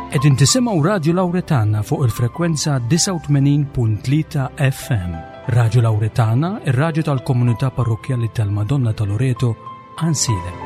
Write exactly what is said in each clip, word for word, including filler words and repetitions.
Qegħdin tisimgħu Radju Lawretana fuq il-frekwenza disgħa u tmenin punt tlieta F M. Radju Lawretana, ir-radju tal-komunità parrokkjali tal-Madonna ta' Loreto, Għajnsielem.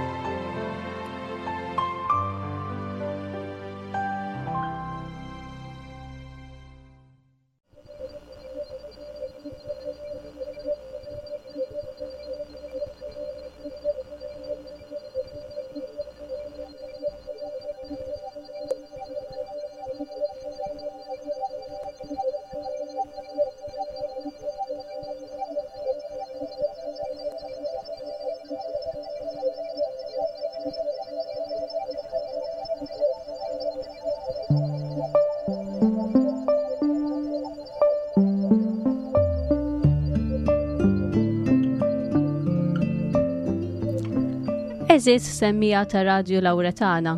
Għeżież semmiegħa ta' Radju Lawretana,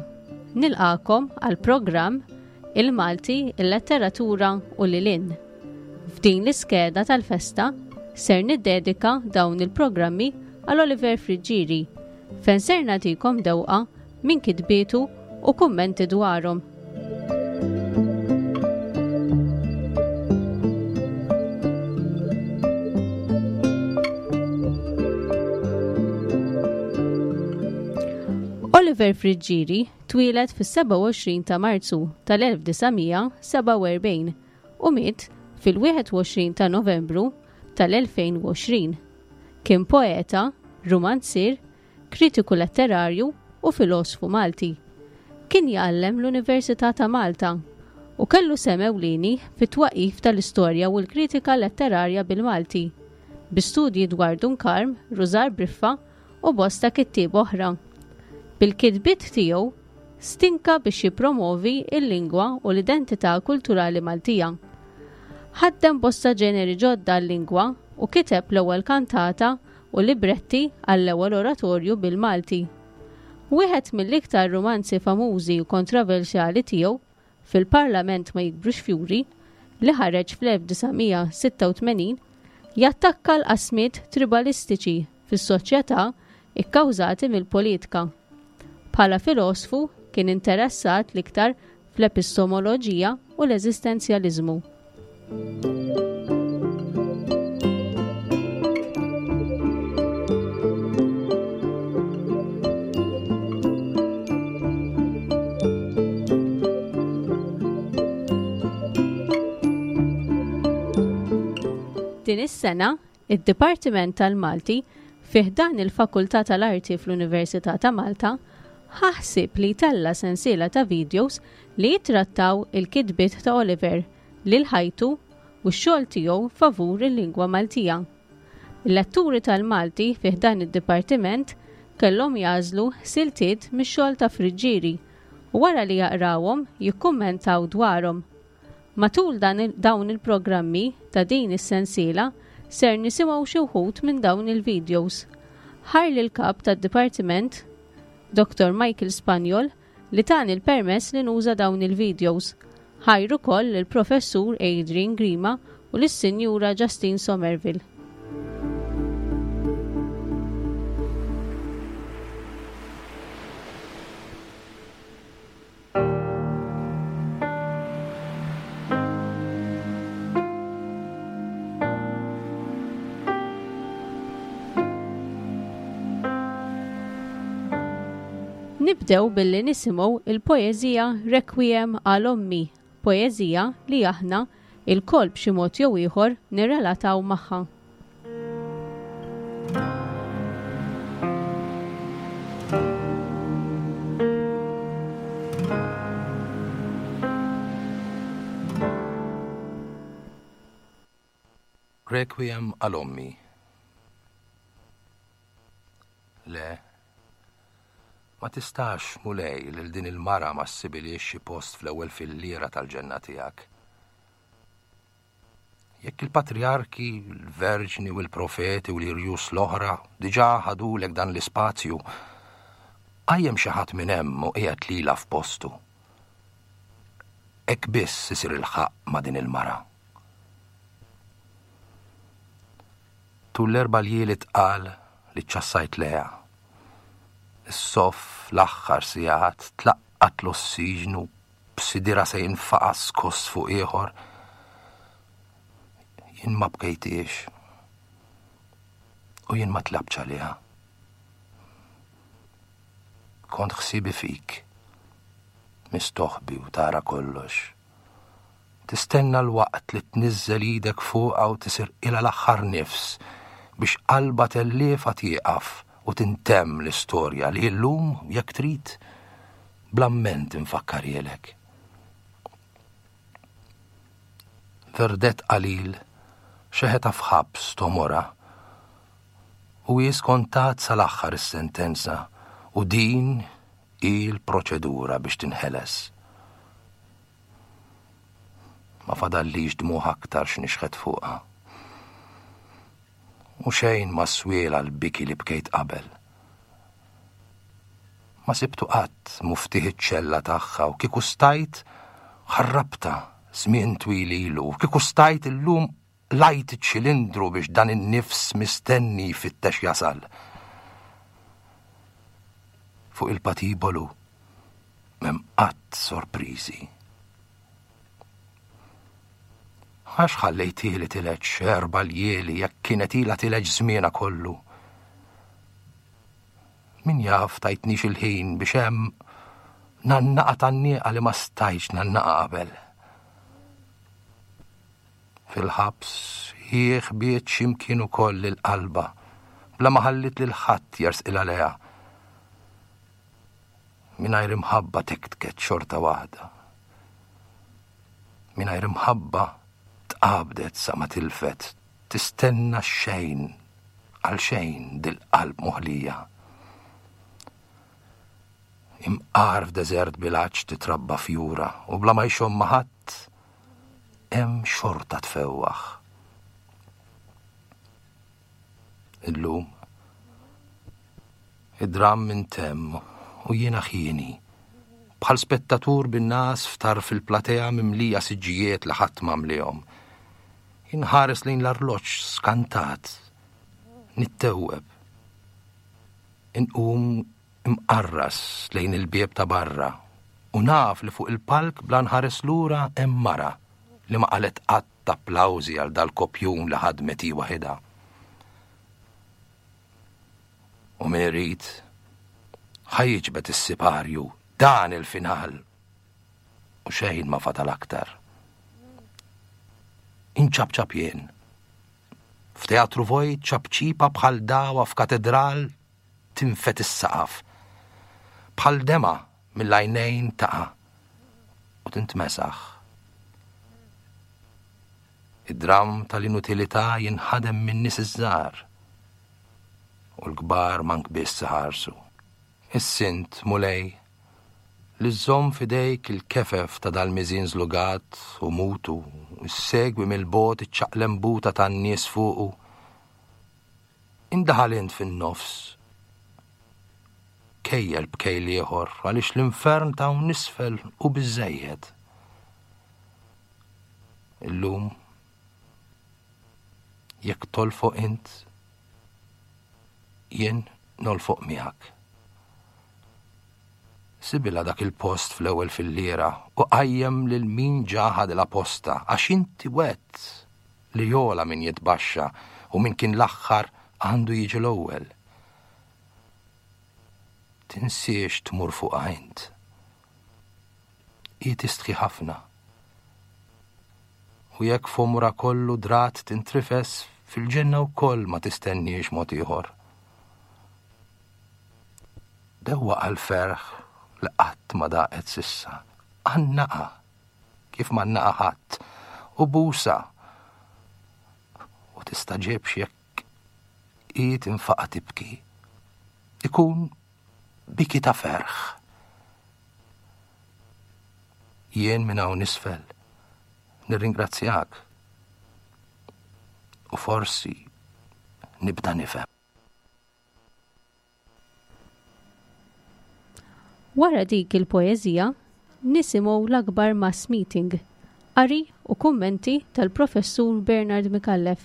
nilqakom għal programm Il-Malti, il-Letteratura u Lilin. F'din l-iskeda tal-festa ser niddedika dawn il-programmi għal Oliver Friggieri, fejn ser nagħtikom dewqa minn kitbietu u kummenti dwarhom. Oliver Friggieri twieled fis-sebgħa u għoxrin ta' Marzu tal-elf disa' mija sebgħa u erbgħin u miet fil-wieħed u għoxrin ta' Novembru tal-elfejn u għoxrin. Kien poeta, romanzier, kritiku letterarju u filosfu Malti. Kien jgħallem l-Università ta' Malta u kellu sehem ewlieni fit-twaqif tal-istorja u l-kritika letterarja bil-Malti, bi studji dwar Dun Karm, Rużar Briffa u bosta kittieb oħra. Bil-kitbiet tiegħu stinka biex jippromovi l-lingwa u l-identità kulturali Maltija. Ħaddem bosta ġeneri ġodda għal-lingwa u kiteb l-ewwel kantata u libretti għall-ewwel oratorju bil-Malti. Wieħed mill-iktar romanzi famużi u kontroversjali tiegħu, Fil-Parlament ma jikbrux fjuri, li ħareġ fl-elf disa' mija sitta u tmenin, jattakka l-qasmiet tribalistiċi fis-soċjetà ikkawżati mill-politika. Bħala filosfu kien interessat l-iktar fl-epistemoloġija u l-eżistenzjaliżmu. Din is-sena, id-Dipartiment tal-Malti fi ħdan il-Fakultà tal-Arti fl-Università ta' Malta ħa ħsieb li jtella' sensiela ta' videos li jitrattaw il-kitbiet ta' Oliver lil ħajtu u x-xogħol tiegħu favur il-lingwa Maltija. Il-letturi tal-Malti fi ħdan id-dipartiment kellhom jagħżlu siltiet mix-xogħol ta' Friggieri u wara li jaqrawhom jikkummentaw dwarhom. Matul dan il-, dawn il-programmi ta' din is-sensiela ser nisimgħu xi wħud minn dawn il-videos. Ħar lil kap tad-dipartiment Doktor Michael Spagnol li tani l-permess li nuża dawn il-videos. Ħajru koll il-Professur Adrian Grima u lis-Sinjura Justine Somerville. Nibdew billi nisimgħu il-poeżija Requiem għal Ommi, poeżija li aħna il-kol b'xi mod jew ieħor nirrelataw magħha. Requiem għal Ommi. Le, ma tistax, Mulej, lil din il-mara ma ssibiliex xi post fl-ewwel filliera tal-ġenna tiegħek. Jekk il-patriarki, il-verġni u l-profeti u l-irjus l-oħra diġà ħadulek dan l-ispazju, qajjem xi ħadd minn hemm u qiegħed lilha f'postu. Hekk biss isir il-ħaqq ma' din il-mara. Tul l-erba' ljieli tqal li ċċassajt leha. Is-soff l-aħħar sigħat tlaqqat l-ossiġnu B'sidirha se jinfaqa' skoss fuq ieħor. Jien ma bkejtiex. U jien ma tlabtx għaliha. Kont ħsiebi fik. Mistoħbi u tara kollox. Tistenna l-waqt li tniżżel idek fuqha u tisirqilha l-aħħar nifs biex qalba telliefa tieqaf u tintemm l-istorja li llum, jekk trid, bl-amment infakkarhielek. Verdett qalil xeħetha f'ħabs tomorha u hi skontat sal-aħħar is-sentenza u din hi l-proċedura biex tinħeles. Ma fadallix dmugħ aktar x'nixħet fuqha. U xejn ma swiela l-biki li bkejt qabel. Ma sibtu qatt muftieħ iċ-ċella tagħha u kieku stajt ħarrabta żmien twil ilu, u kieku stajt illum lajt iċ-ċilindru biex dan in-nifs mistenni jfittex jasal. Fuq il-patibolu m'hemm qatt sorpriżi. Għax ħallejtieli tileġ erba' ljieli jekk kienet ilha tileġ żmienha kollu. Min jaf tajtnix il-ħin biex hemm nannaqa tan-nieqa li ma stajtx nannaqa qabel. Fil-ħabs hi ħbiet x'imkien ukoll il-qalba bla ma ħallit lil ħadd jersqilha lejha. Mingħajr imħabba tektket xorta waħda. Mingħajr imħabba tqabdet sa ma tilfet, tistenna xejn għal xejn dil-qalb moħlija. Imqar f'deżert bil-għatx titrabba fjura u bla ma jxomm ma' ħadd hemm xorta tfewwaħ. Illum id-dramm intemm u jiena ħieni, bħal spettatur bin-nas f'tarf il-platea mimlija siġġijiet li ħadd ma mlihom. Inħares lejn l-arloġġ skantat, nittewweb. Inqum imqarras lejn il-bieb ta' barra u naf li fuq il-palk bla nħares lura hemm mara li ma qalet qatt applawżi għal dal-kopjun li ħadmet hi waħidha. U min irid ħa jiġbed is-siparju dan il-final u xejn ma fadal aktar. Inċabċab jien. F'teatru vojt ċabċipa bħal dawa f'katedral tinfet is-saqaf. Bħal dema mill-għajnejn taqa' u tintmesaħ. Id-dram tal-inutilità jinħadem minn nies iż-żgħar u l-kbar mank biss iħarsu. Is-sint, Mulej, li żżomm f'idejk il-kefef ta' dal-miżien żlugat u mutu, issegwi mill-bogħod iċ-ċaqlembuta tan-nies fuqu. Indaħal int fin-nofs. Kejjel b'kejl ieħor għaliex l-infern ta' hawn isfel u biżżejjed. Illum jekk tolfoq int, jien nolfoq miegħek. Sibilha dak il-post fl-ewwel filliera u qajjem lil min ġa ħadilha posta għax inti wett li jola min jitbaxxa u min kien l-aħħar għandu jiġi l-ewwel. Tinsiex tmur fuqha int. Hi tistħi ħafna. U jekk f'għomorha kollu drat tintrifes fil-ġenna wkoll ma tistenniex mod ieħor. Dewwaq għall-ferħ li qatt ma daqet sissa. Għannaqa kif ma għannaqa ħadd u busa. U tistaġibx jekk hi tinfaqa' tibki. Ikun biki ta' ferħ. Jien minn hawn isfel nirringrazzjak u forsi nibda nifhem. Wara dik il-poeżija, nisimgħu l-akbar mass meeting, qari u kummenti tal-Professur Bernard Micallef.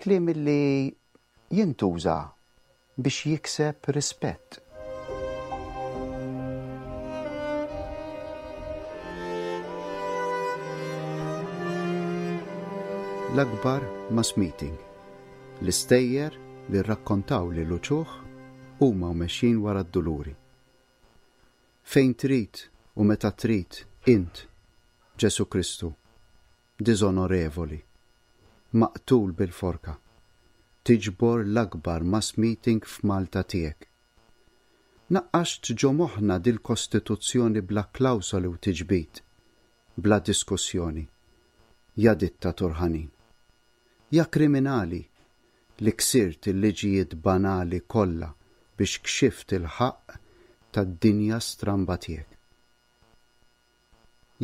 Kliem li jintuża biex jikseb rispett. L-akbar mass meeting. L-istejjer li rrakkontaw li l-uċuħ huma u mexjin wara d-duluri. Fejn trid u meta trid int, Ġesu Kristu, diżonorevoli, maqtul bil-forka, tiġbor l-akbar mass meeting f'Malta tiegħek. Naqqaxt ġo moħħna dil-Kostituzzjoni bla klawsoli u tiġbid, bla diskussjoni. Ja dittatur ħanin. Ja kriminali li ksirt il-liġijiet banali kollha biex kxift il-ħaqq tad-dinja stramba tiegħek.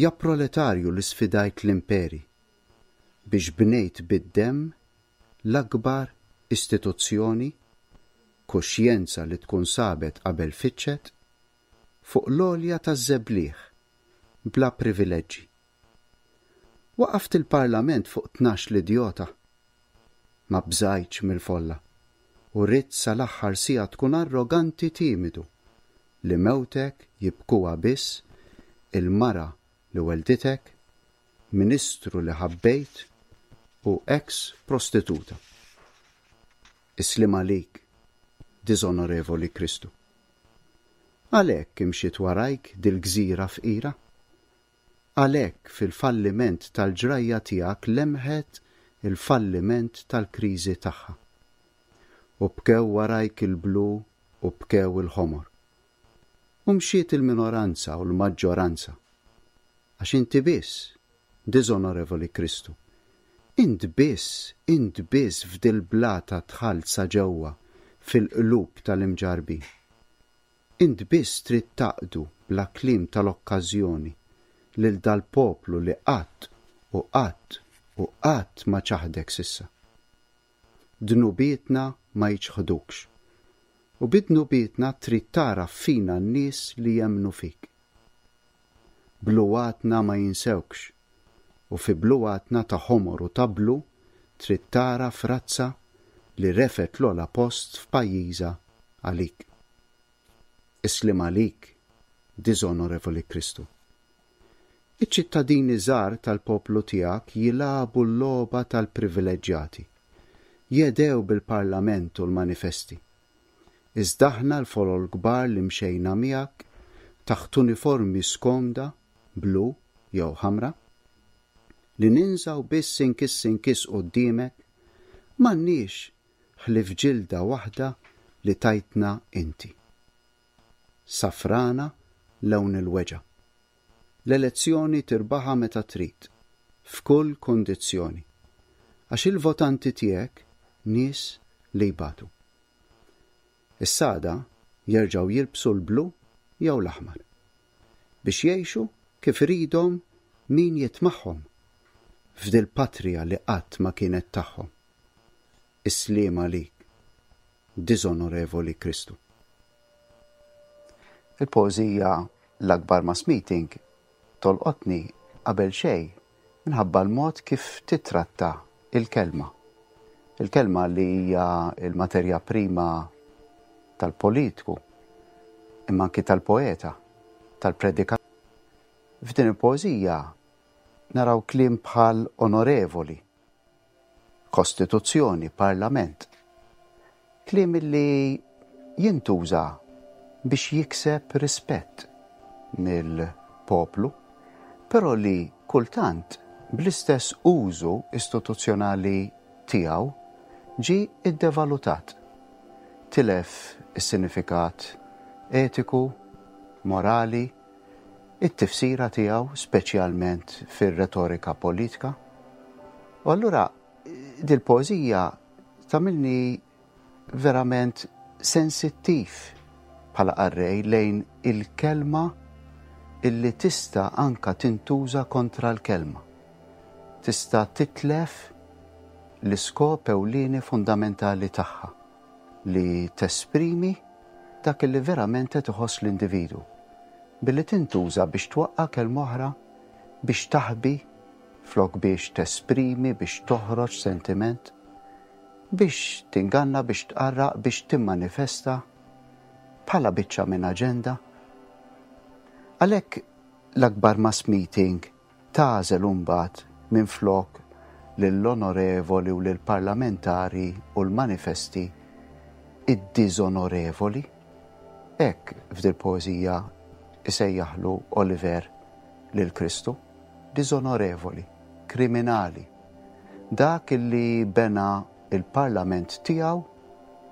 Ja proletarju li sfidajt l-imperi biex bnejt bid-demm l-akbar istituzzjoni, kuxjenza li tkun sabet qabel fittxet, fuq l-għolja taż-żebliħ bla privileġġi. Waqaft il-parlament fuq tnax l-idjota. Ma bżajtx mill-folla u ridt sal-aħħar siegħa tkun arroganti timidu li mewtek jibkuha biss il-mara li welditek, ministru li ħabbejt u ex prostituta. Is-sliem għalik, diżonorevoli Kristu. Għalhekk imxiet warajk dil-gżira fqira? Għalhekk fil-falliment tal-ġrajja tiegħek lemħet il-falliment tal-kriżi tagħha. U bkew warajk il-blu u bkew il-ħomor. U mxiet il-minoranza u l-maġġoranza. Għax inti biss, diżonorevoli Kristu, int biss, int biss f'dil-blata dħalt sa ġewwa fil-qlub tal-imġarbin. Int biss trid taqdu bla kliem tal-okkażjoni lil dal-poplu li qatt u qatt u qatt ma ċaħdek s'issa. Dnubietna ma jiċħdukx u bid-dnubietna trid tara fina n-nies li jemmnu fik. Bluwatna ma jinsewkx u fi bluwatna ta' ħomor u ta' blu trid tara frazza li refet l-ogħla post f'pajjiżha għalik. Is-sliem għalik, diżonorevoli Kristu. Iċ-ċittadini żgħar tal-poplu tiegħek jilagħbu l-logħba tal-privileġġjati. Jedew bil-parlament u l-manifesti. Iżda aħna l-folol kbar li mxejna miegħek taħt uniformi skomda, blu jew ħamra, li ninżaw biss inkiss inkiss quddiemek, m'għandniex ħlief ġilda waħda li tajtna inti. Safrana lewn il-weġgħa. L-elezzjoni tirbaħa meta trid, f'kull kondizzjoni, għax il-votanti tiegħek nies li jbatu. Is-sada jerġgħu jilbsu l-blu jew l-aħmar biex jgħixu kif iridhom min jitmagħhom f'dil patrija li qatt ma kienet tagħhom. Is-sliem għalik, diżonorevoli Kristu. Il-poeżija L-Akbar Mass Meeting tolqotni qabel xejn minħabba l-mod kif titratta il-kelma. Il-kelma li hija il-materja prima tal-politiku, imma anki tal-poeta, tal-predikatur. F'din il-poeżija naraw kliem bħal onorevoli, kostituzzjoni, parlament. Kliem li jintuża biex jikseb rispett mill-poplu, però li kultant bl-istess użu istituzzjonali tiegħu ġi iddevalutat. Tilef is-sinifikat etiku, morali, it-tifsira tiegħu speċjalment fir-retorika politika. U allura dil-poeżija tagħmilni verament sensittiv bħala qarrej lejn il-kelma illi tista' anka tintuża kontra l-kelma. Tista' titlef l-iskop ewlieni fundamentali tagħha li tesprimi dak li verament qed iħoss l-individu billi tintuża biex twaqqa' kelma oħra, biex taħbi flok biex tesprimi, biex toħroġ sentiment, biex tinganna, biex tqarraq, biex timmanifesta bħala biċċa minn aġenda. Għalhekk l-akbar mass meeting tagħżel imbagħad minn flok lill-onorevoli u lill-parlamentari u l-manifesti id-diżonorevoli. Hekk f'dil poeżija isejjaħlu Oliver lil Kristu, diżonorevoli, kriminali. Dak li bena il-parlament tiegħu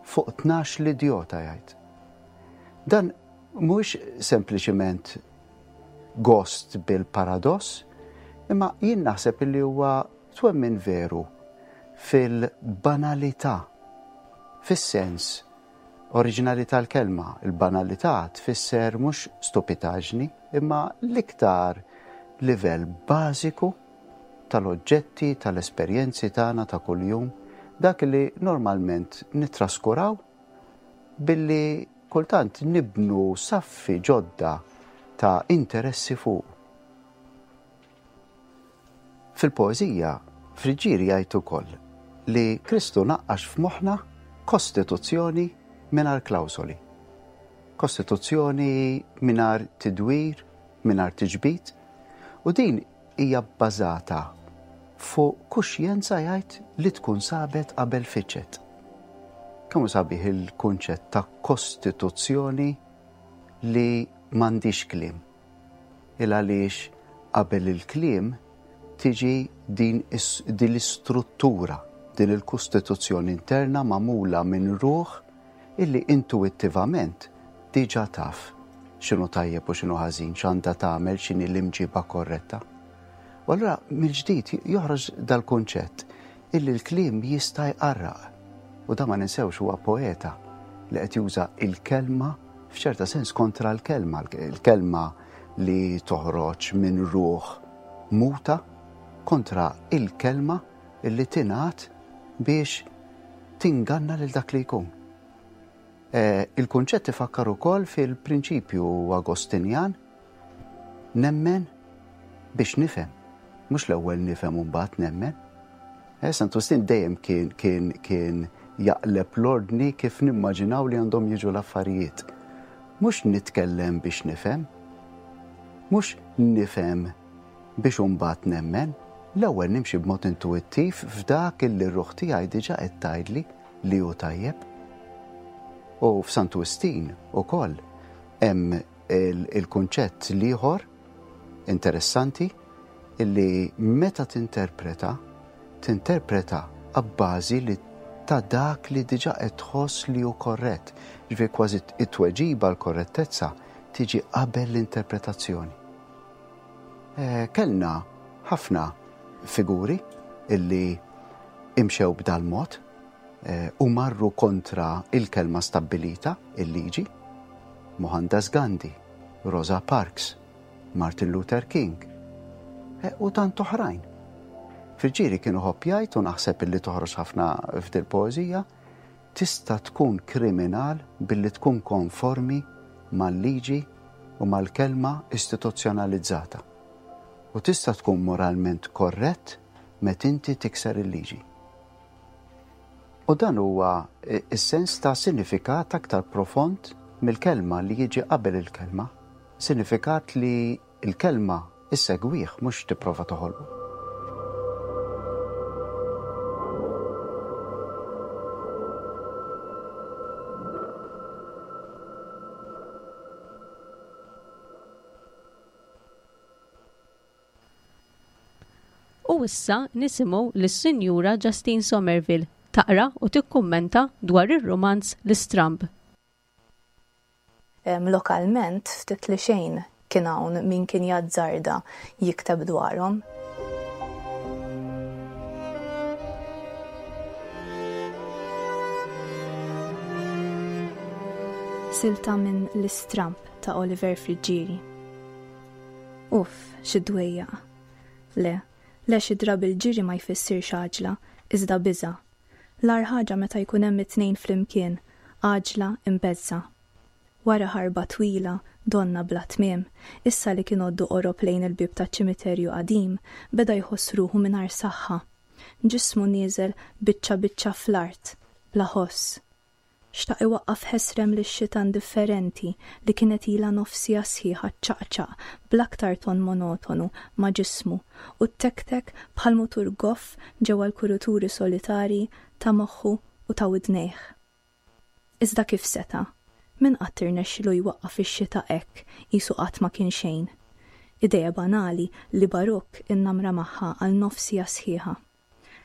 fuq tnax l-idjota jgħid. Dan mhux sempliċiment gost bil-paradoss, imma jien naħseb li huwa twemmin veru fil-banalità, fis-sens oriġinali tal-kelma. Il-banalità tfisser mhux stupitaġni, imma l-iktar livell bażiku tal-oġġetti, tal-esperjenzi tagħna ta' kuljum, dak li normalment nittraskuraw billi kultant nibnu saffi ġodda ta' interessi fuq. Fil-poeżija, Friggieri jgħid ukoll li Kristu naqqax f'moħħna kostituzzjoni mingħajr klawsoli. Kostituzzjoni mingħajr tidwir, mingħajr tiġbid, u din hija bbażata fuq kuxjenza jgħid li tkun sabet qabel fiċet. Kemm sabiħ il-kunċett ta' kostituzzjoni li m'għandix kliem. Il għaliex qabel il-kliem tiġi din, din l-istruttura, din il-kostituzzjoni interna magħmula minn ruħ illi intuittivament diġà taf x'inhu tajjeb u x'inhu ħażin, x'għandha tagħmel, x'inhi l-imġiba korretta. U allura mill-ġdid joħroġ dal-kunċett illi l-kliem jista' jqarraq. U da ma ninsewx huwa poeta li qed juża il-kelma f'ċerta sens kontra l-kelma, il-kelma li toħroġ minn ruħ muta kontra il-kelma illi tingħad biex tinganna lil dak li jkun. Eh, il-kunċett ifakkar ukoll fil-prinċipju Agostinjan nemmen biex nifhem. Mhux l-ewwel nifhem u mbagħad nemmen. Eh, Santu Wistin dejjem kien kien kien jaqleb l-ordni kif nimmaġinaw li għandhom jiġu l-affarijiet. Mhux nitkellem biex nifhem, mhux nifhem biex imbagħad nemmen, l-ewwel nimxi b'mod intuittiv f'dak illi r-ruħ tiegħi diġà qed tgħidli li hu tajjeb. U f'Santu Wistin ukoll hemm il-kunċett l-ieħor interessanti illi meta tinterpreta, tinterpreta abbażi li ta' dak li diġà qed tħoss li hu korrett. Ġifieri kważi it-tweġiba l-korrettezza tiġi qabel l-interpretazzjoni. Eh, kellna ħafna figuri illi imxew b'dal mod eh, u marru kontra il-kelma stabbilita, il-liġi, Mohandas Gandhi, Rosa Parks, Martin Luther King, eh, u tant oħrajn. Friggieri kienu ħobb jgħid u naħseb illi toħroġ ħafna f'dil poeżija, tista' tkun kriminal billi tkun konformi mal-liġi u mal-kelma istituzzjonalizzata. U tista' tkun moralment korrett meta inti tikser il-liġi. U dan huwa is-sens ta' sinifikat aktar profond mill-kelma li jiġi qabel il-kelma, sinifikat li l-kelma issegwih mhux tipprova toħolqu. U issa nisimgħu lis-Sinjura Justine Somerville taqra u tikkummenta dwar ir-rumanz L-Istramb. Lokalment ftit li xejn kien hawn min kien jazzarda jikteb dwarhom. Silta minn L-Istramb ta' Oliver Friggieri. Uff, xi dwejjaq. Le, le xi drabi l-ġiri ma jfissirx għaġla, iżda biża'. L-agħar ħaġa meta jkun hemm it-tnejn flimkien, għaġla imbeżża. Wara ħarba twila, donna bla tmiem, issa li kien għoddu qorob lejn il-bieb taċ-ċimiterju qadim, beda jħoss ruħu mingħajr saħħa. Ġismu nieżel biċċa biċċa fl-art, bla ħoss. Xtaq iwaqqaf ħesrem lix-xita indifferenti li kienet ilha nofs siegħa sħiħa ċċaqċaq bl-aktar ton monotonu ma' ġismu u ttektek bħal mutur goff ġewwa l-kuruturi solitarji ta' moħħu u ta' widnejh. Iżda kif seta'? Min qatt irnexxielu jwaqqaf ix-xita hekk qisu qatt ma kien xejn? Idea banali li Baruk innamra magħha għal nofs siegħa sħiħa.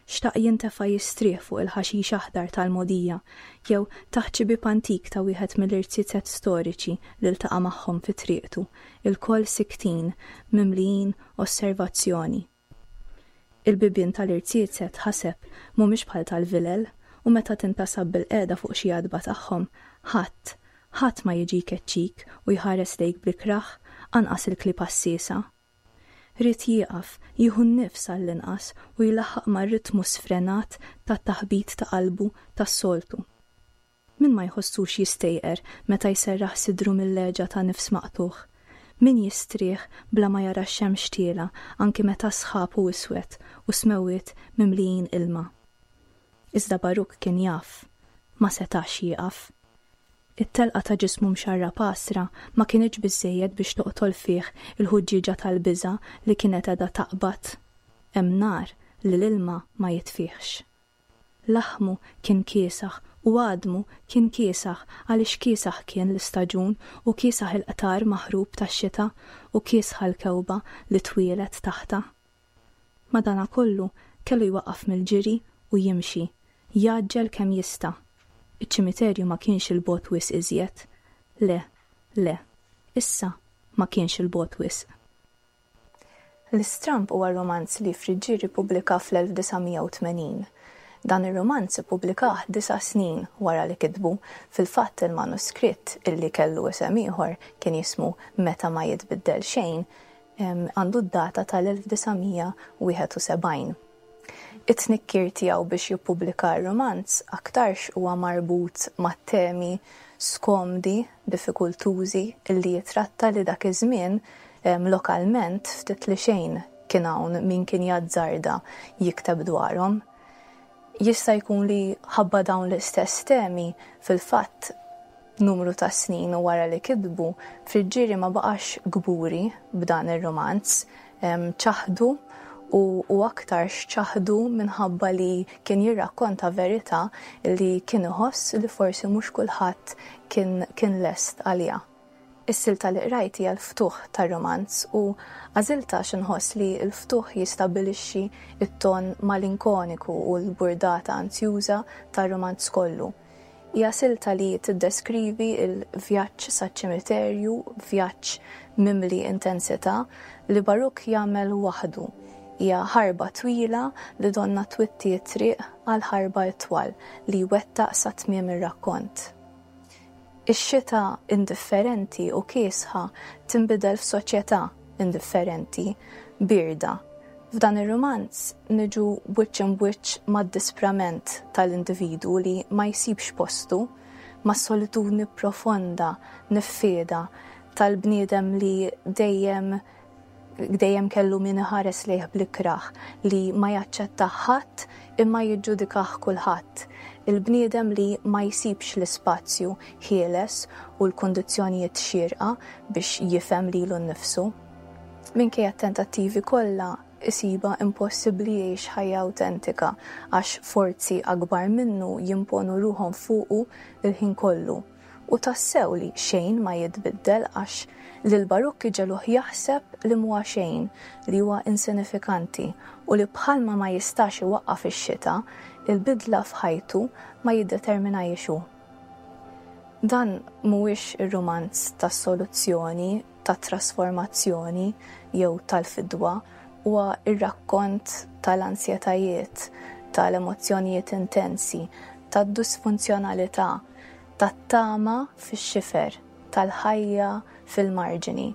Xtaq jintefa' jistrieħ fuq il-ħaxix aħdar tal-mogħdija jew taħt xi bieb antik ta' wieħed mill-irziezet storiċi li ltaqa' magħhom fi triqtu, ilkoll siktin, mimlijin osservazzjoni. Il-bibien tal-irziezet, ħaseb, mhumiex bħal tal-vilel u meta tintasab bilqiegħda fuq xi għatba tagħhom, ħadd, ħadd ma jiġi jkeċċik u jħares lejk bl-ikrah, anqas il-klieb għassiesa. Ried jieqaf, jieħu n-nifs għall-inqas u jlaħħaq mar-ritmu sfrenat tat-taħbit ta' qalbu tas-soltu. Min ma jħossux jistejqer meta jserraħ sidru mill-leġa ta' nifs maqtugħ? Min jistrieħ bla ma jara x-xemx tielgħa anki meta sħab u iswed u smewwiet mimlijin ilma? Iżda Baruk kien jaf, ma setax jieqaf. It-telqa ta' ġismu mxarrab għasra ma kinitx biżżejjed biex toqtol fih il-ħuġġieġa tal-biża' li kienet qiegħda taqbad. Hemm nar li l-ilma ma jitfihx. Laħmu kien kiesaħ u għadmu kien kiesaħ għaliex kiesaħ kien l-istaġun u kiesaħ il-qtar maħrub tax-xita u kiesħa l-kewba li twieled taħtha. Madanakollu kellu jwaqqaf mill-ġiri u jimxi, jgħaġġel kemm jista'. Iċ-ċimiterju ma kienx 'il bogħod wisq iżjed. Le, le, issa ma kienx 'il bogħod wisq. L-Istramb huwa romanz li Friggieri ppubblika fl-elf disa' mija u tmenin. Dan ir-romanz ippubblikah disa' snin wara li kitbu. Fil-fatt il-manuskritt illi kellu isem ieħor kien jismu Meta ma jitbiddel xejn, għandu d-data tal-elf disa' mija wieħed u sebgħin. It-tnikkir tiegħu biex jippubblika r-romanz aktarx huwa marbut ma' temi skomdi, diffikultużi illi jitratta li dak iż-żmien, em, lokalment ftit li xejn kien hawn min kien jazzarda jikteb dwarhom. Jista' jkun li ħabba dawn l-istess temi fil-fatt numru ta' snin u wara li kitbu, Friggieri ma baqax gburi b'dan ir-romanz, em, ċaħdu u, u aktar xċaħdu minħabba li kien jirrakkonta verità li kien iħoss li forsi mhux kulħadd kien, kien lest għaliha. Is-silta li qrajt hija l-ftuħ tar-romanz u għażilta għax inħoss li l-ftuħ jistabilixxi t-ton malinkoniku u l-burdata anzjuża tar-romanz kollu. Hija silta li tiddeskrivi l-vjaġġ saċ-ċimiterju, vjaġġ mimli intensità li Baruk jagħmel waħdu. Hija ħarba twila li donna twitti t-triq għal ħarba itwal li jwettaq sa tmiem ir-rakkont. Ix-xita indifferenti u kiesħa tinbidel f'soċjetà indifferenti, birda. F'dan ir-romanz niġu wiċċ imbwiċċ mad-disprament tal-individwu li ma jsibx postu, mas-solitudni profonda, niffieda tal-bniedem li dejjem dejjem kellu min iħares lejh bl-ikrah, li ma jaċċetta ħadd imma jiġġudikah kulħadd. Il-bniedem li ma jsibx l-ispazju ħieles u l-kundizzjonijiet xierqa biex jifhem lilu nnifsu. Minkejja t-tentattivi kollha isiba impossibbli jgħix ħajja awtentika għax forzi akbar minnu jimponu ruħhom fuqu il-ħin kollu. U tassew li xejn ma jitbiddel għax lil Baruk iġeluh jaħseb li mhuwa xejn, li huwa insinifikanti u li bħalma ma jistax iwaqqaf ix-xita, il-bidla f'ħajtu ma jiddeterminajiex hu. Dan mhuwiex ir-romanz tas-soluzzjoni, tat-trasformazzjoni jew tal-fidwa, huwa ir-rakkont tal-ansjetajiet, tal-emozzjonijiet intensi, tad-disfunzjonalità, tat-tama fix-xifer, tal-ħajja fil-marġini.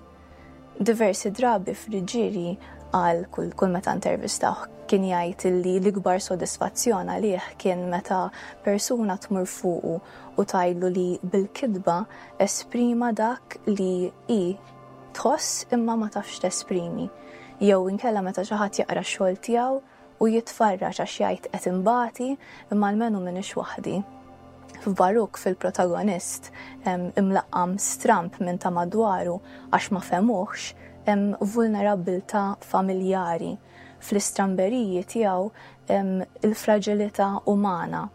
Diversi drabi Friggieri qal kull, kull meta intervistawh kien jgħid li l-ikbar sodisfazzjon għalih kien meta persuna tmur fuqu u tgħidlu li bil-kitba esprima dak li hi tħoss imma ma tafx tesprimi. Jew inkella meta xi ħadd jaqra x-xogħol tiegħu u jitfarraġ għax jgħid qed imbati imma almenu m'iniex waħdi. F'Baruk fil-protagonist imlaqqam stramp minn ta' madwaru għax ma fehmuhx, hemm vulnerabbiltà familjari. Fl-istramberiji tiegħu hemm il-fraġilità umana.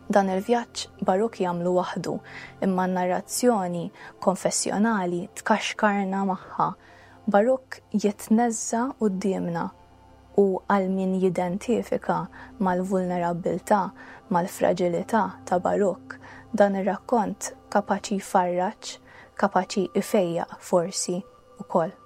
Dan il-vjaġġ Baruk jagħmlu waħdu, imma n-narrazzjoni konfessjonali tkaxkarna magħha. Baruk jitneżża' quddiemna u għal min jidentifika mal-vulnerabbiltà, mal-fraġilità ta' Baruk, dan ir-rakkont kapaċi jfarraġ, kapaċi jfejjaq forsi ukoll.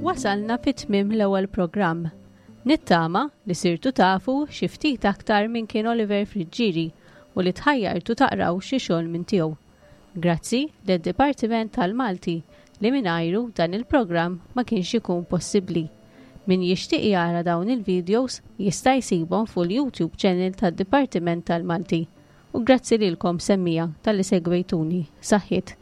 Wasalna fi tmiem l-ewwel programm. Nittama li sirtu tafu xi ftit aktar minn kien Oliver Friggieri u li tħajjartu taqraw xi xogħol minn tiegħu. Grazzi lid-Dipartiment tal-Malti li mingħajru dan il-programm ma kienx ikun possibbli. Min jixtieq jara dawn il-videos jista' jsibhom fuq il-YouTube channel tad-Dipartiment tal-Malti. U grazzi lilkom semmija talli segwejtuni. Saħħiet.